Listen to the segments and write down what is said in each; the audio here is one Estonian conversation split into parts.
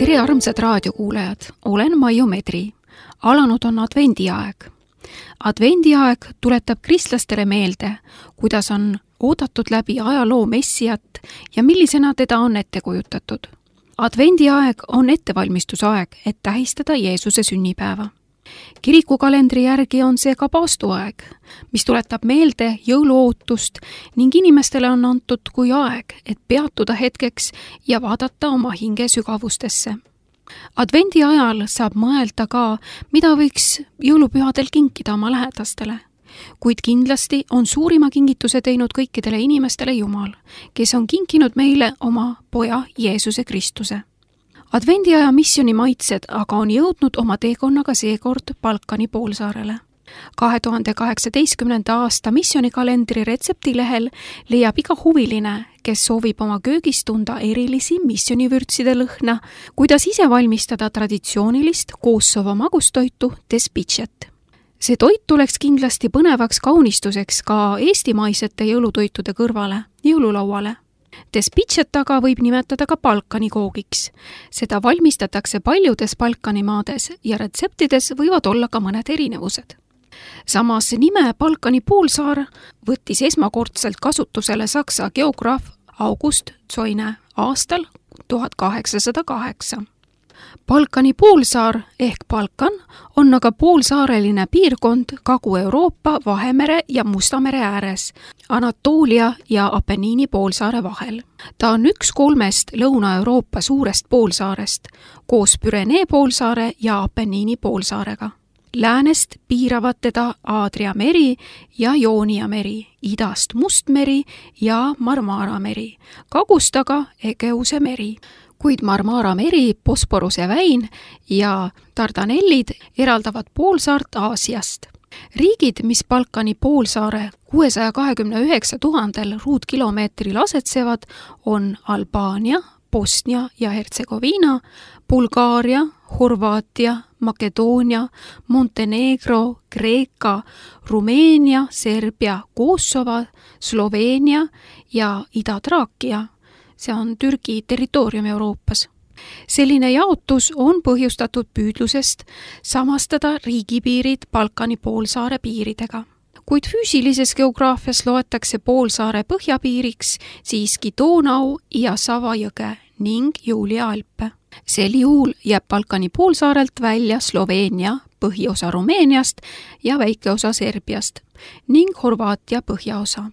Tere armsad raadiokuulajad, olen Maiu Medri. Alanud on advendiaeg. Advendiaeg tuletab kristlastele meelde, kuidas on oodatud läbi ajaloo messiat ja millisena teda on ette kujutatud. Advendiaeg on ettevalmistusaeg, et tähistada Jeesuse sünnipäeva. Kirikukalendri järgi on see ka paastuaeg, mis tuletab meelde jõuluootust ning inimestele on antud kui aeg, et peatuda hetkeks ja vaadata oma hinge sügavustesse. Advendi ajal saab mõelda ka, mida võiks jõulupühadel kinkida oma lähedastele. Kuid kindlasti on suurima kingituse teinud kõikidele inimestele Jumal, kes on kinkinud meile oma poja Jeesuse Kristuse. Advendiaja missioni maitsed aga on jõudnud oma teekonnaga seekord Balkani poolsaarele. 2018. aasta missionikalendri retseptilehel leiab iga huviline, kes soovib oma köögis tunda erilisi missionivürtside lõhna, kuidas ise valmistada traditsioonilist Kosovo magustoitu tespicet. See toit tuleks kindlasti põnevaks kaunistuseks ka eestimaisete jõulutoitude kõrvale, jõululauale. Tespicet aga võib nimetada ka Balkani koogiks. Seda valmistatakse paljudes Balkani maades ja retseptides võivad olla ka mõned erinevused. Samas nime Balkani poolsaar võttis esmakordselt kasutusele saksa geograaf August Zoine aastal 1808. Balkani poolsaar ehk Balkan on aga poolsaareline piirkond Kagu-Euroopa, Vahemere ja Musta mere ääres, Anatoolia ja Apeniini poolsaare vahel. Ta on üks 3 Lõuna-Euroopa suurest poolsaarest, koos Pürenee poolsaare ja Apeniini poolsaarega. Läänest piiravad teda Aadria meri ja Joonia meri, idast Mustmeri ja Marmara meri, kagust aga Egeuse meri. Kuid Marmara meri, Bosporuse väin ja Dardanellid eraldavad poolsaart Aasiast. Riigid, mis Balkani poolsaare 629 000 ruutkilomeetril asetsevad, on Albaania, Bosnia ja Hertsegoviina, Bulgaaria, Horvaatia, Makedoonia, Montenegro, Kreeka, Rumeenia, Serbia, Kosovo, Sloveenia ja Ida-Traakia. See on Türgi territoorium Euroopas. Selline jaotus on põhjustatud püüdlusest samastada riigipiirid Balkani poolsaare piiridega. Kuid füüsilises geograafias loetakse poolsaare põhjapiiriks siiski Donau ja Sava jõge ning Julia Alpe. Sel juhul jääb Balkani poolsaarelt välja Sloveenia, põhiosa Rumeeniast ja väike osa Serbiast ning Horvaatia põhjaosa.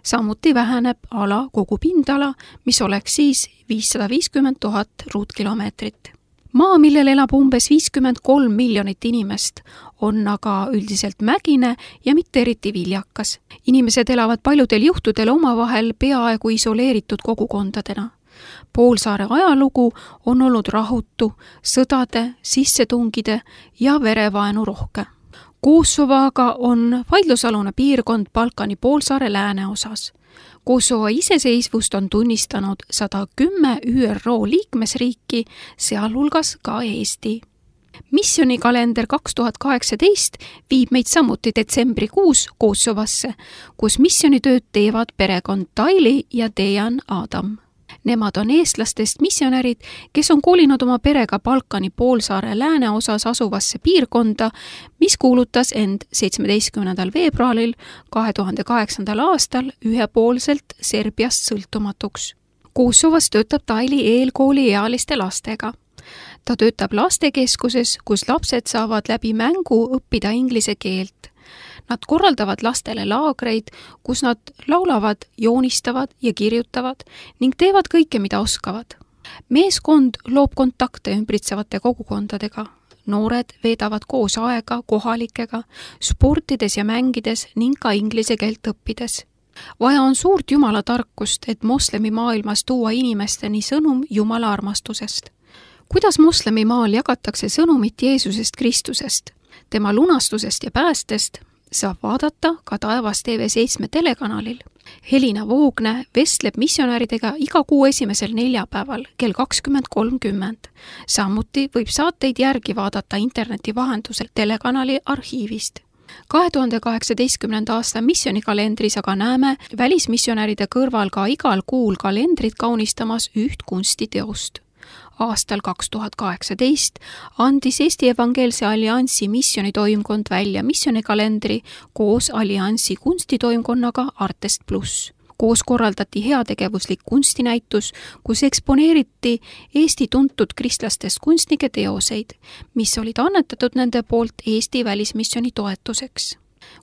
Samuti väheneb ala kogu pindala, mis oleks siis 550 000 ruutkilomeetrit. Maa, millel elab umbes 53 miljonit inimest, on aga üldiselt mägine ja mitte eriti viljakas. Inimesed elavad paljudel juhtudel omavahel peaaegu isoleeritud kogukondadena. Poolsaare ajalugu on olnud rahutu, sõdade, sissetungide ja verevaenu rohke. Kosovo aga on vaidlusalune piirkond Balkani poolsaare lääneosas. Kosovo iseseisvust on tunnistanud 110 ÜRO liikmesriiki, sealhulgas ka Eesti. Missionikalender 2018 viib meid samuti detsembrikuus Kosovosse, kus missionitööd teevad perekond Taili ja Dejan Adam. Nemad on eestlastest missionärid, kes on kolinud oma perega Balkani poolsaare lääneosas asuvasse piirkonda, mis kuulutas end 17. veebruaril 2008. aastal ühepoolselt Serbiast sõltumatuks. Kosovos töötab Taili eelkooli ealiste lastega. Ta töötab lastekeskuses, kus lapsed saavad läbi mängu õppida inglise keelt. Nad korraldavad lastele laagreid, kus nad laulavad, joonistavad ja kirjutavad ning teevad kõike, mida oskavad. Meeskond loob kontakte ümbritsevate kogukondadega. Noored veedavad koos aega kohalikega, sportides ja mängides ning ka inglise keelt õppides. Vaja on suurt Jumala tarkust, et moslemi maailmas tuua inimesteni sõnum Jumala armastusest. Kuidas moslemi maal jagatakse sõnumit Jeesusest Kristusest, tema lunastusest ja päästest, saab vaadata ka Taevas TV7 telekanalil. Helina Voogne vestleb missionäridega iga kuu esimesel neljapäeval kell 20:30. Samuti võib saateid järgi vaadata interneti vahendusel telekanali arhiivist. 2018. aasta missionikalendris aga näeme välismissionäride kõrval ka igal kuul kalendrit kaunistamas üht kunstiteost. Aastal 2018 andis Eesti Evangeelse Alliansi missionitoimkond välja missionikalendri koos Alliansi kunstitoimkonnaga Artest Plus. Koos korraldati heategevuslik kunstinäitus, kus eksponeeriti Eesti tuntud kristlastest kunstnike teoseid, mis olid annetatud nende poolt Eesti välismissioni toetuseks.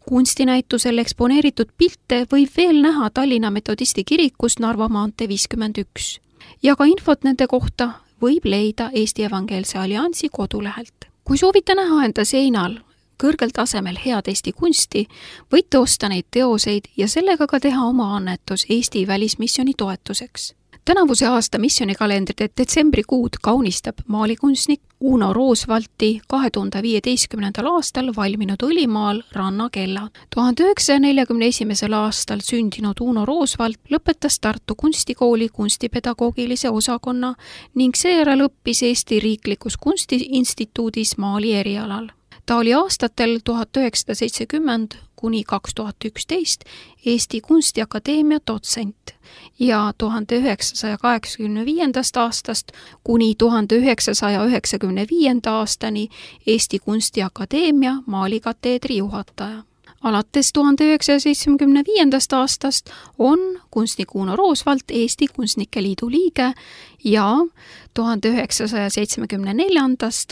Kunstinäitusel eksponeeritud pilte võib veel näha Tallinna Metodisti kirikust Narva maantee 51 ja ka infot nende kohta võib leida Eesti Evangeelse Alliansi kodulehelt. Kui soovite näha enda seinal kõrgel tasemel head Eesti kunsti, võite osta neid teoseid ja sellega ka teha oma annetus Eesti välismissioni toetuseks. Tänavuse aasta missionikalendrite detsembrikuud kaunistab maalikunstnik Uno Roosvalti 2015. aastal valminud õlimaal Rannakella. 1941. aastal sündinud Uno Roosvalt lõpetas Tartu kunstikooli kunstipedagoogilise osakonna ning seejärel õppis Eesti Riiklikus Kunstiinstituudis maali erialal. Ta oli aastatel 1970 kuni 2011 Eesti Kunstiakadeemia dotsent ja 1985. aastast kuni 1995. aastani Eesti Kunstiakadeemia maalikateedri juhataja. Alates 1975. aastast on kunstnik Uno Roosvalt Eesti Kunstnike Liidu liige ja 1974.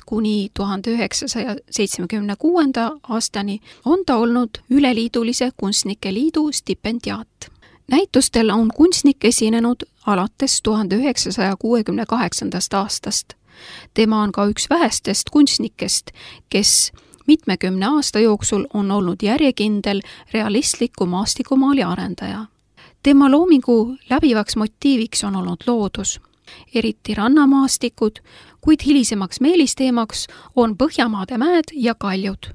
kuni 1976. aastani on ta olnud Üleliidulise Kunstnike Liidu stipendiaat. Näitustel on kunstnik esinenud alates 1968. aastast. Tema on ka üks vähestest kunstnikest, kes mitmekümne aasta jooksul on olnud järjekindel realistliku maastikumaali arendaja. Tema loomingu läbivaks motiiviks on olnud loodus, eriti rannamaastikud, kuid hilisemaks meelisteemaks on Põhjamaade mäed ja kaljud.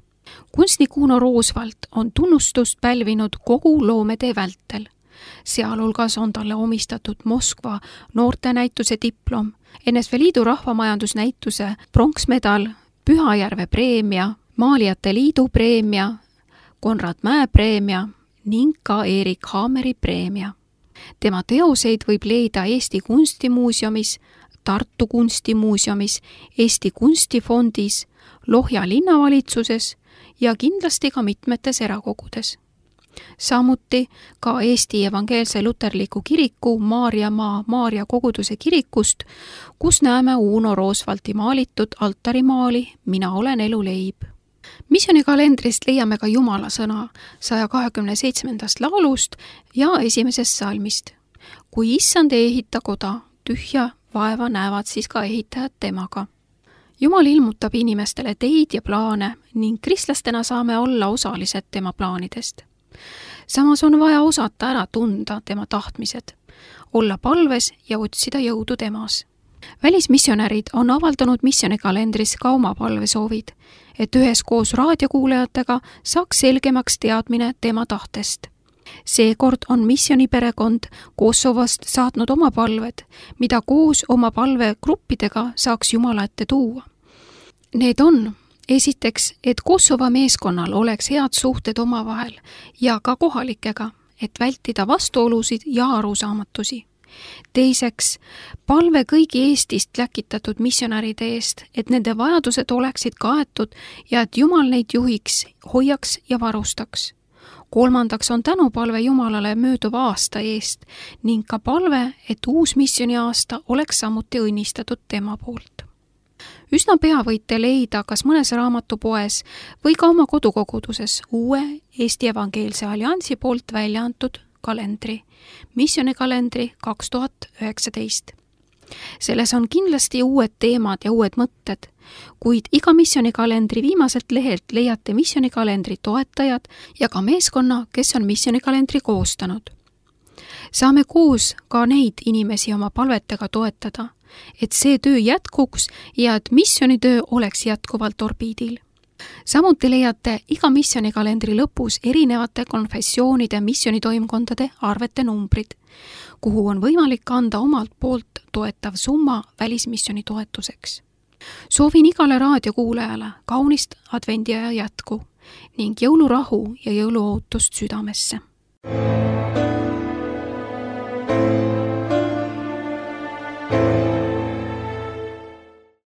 Kunstnik Uno Roosvalt on tunnustust pälvinud kogu loometee vältel. Sealhulgas on talle omistatud Moskva noortenäituse diplom, NSV Liidu rahvamajandusnäituse pronksmedal, Pühajärve preemia, Maalijate Liidu preemia, Konrad Mäe preemia ning ka Erik Haameri preemia. Tema teoseid võib leida Eesti Kunstimuuseumis, Tartu Kunstimuuseumis, Eesti Kunstifondis, Lohja linnavalitsuses ja kindlasti ka mitmetes erakogudes. Samuti ka Eesti Evangeelse Luterliku Kiriku Maarjamaa Maarja koguduse kirikust, kus näeme Uno Roosvalti maalitud altarimaali Mina olen eluleib. Missionikalendrist leiame ka Jumala sõna 127. laulust ja 1. salmist. Kui issand ei ehita koda, tühja vaeva näevad siis ka ehitajad temaga. Jumal ilmutab inimestele teid ja plaane ning kristlastena saame olla osalised tema plaanidest. Samas on vaja osata ära tunda tema tahtmised, olla palves ja otsida jõudu temas. Välismissionärid on avaldanud missionikalendris ka oma palvesoovid, et üheskoos raadiokuulajatega saaks selgemaks teadmine tema tahtest. Seekord on missioniperekond Kosovost saatnud oma palved, mida koos oma palvegruppidega saaks Jumala ette tuua. Need on esiteks, et Kosovo meeskonnal oleks head suhted omavahel ja ka kohalikega, et vältida vastuolusid ja arusaamatusi. Teiseks, palve kõigi Eestist läkitatud missionäride eest, et nende vajadused oleksid kaetud ja et Jumal neid juhiks, hoiaks ja varustaks. Kolmandaks on tänupalve Jumalale mööduva aasta eest ning ka palve, et uus missioniaasta oleks samuti õnnistatud tema poolt. Üsna pea võite leida kas mõnes raamatupoes või ka oma kodukoguduses uue Eesti Evangeelse Alliansi poolt välja antud kalendri, missionikalendri 2019. Selles on kindlasti uued teemad ja uued mõtted, kuid iga missionikalendri viimaselt lehelt leiate missionikalendri toetajad ja ka meeskonna, kes on missionikalendri koostanud. Saame koos ka neid inimesi oma palvetega toetada, et see töö jätkuks ja et missionitöö oleks jätkuvalt orbiidil. Samuti leiate iga missionikalendri lõpus erinevate konfessioonide missionitoimkondade arvete numbrid, kuhu on võimalik anda omalt poolt toetav summa välismissioni toetuseks. Soovin igale raadiokuulajale kaunist advendiaja jätku ning jõulurahu ja jõuluootust südamesse.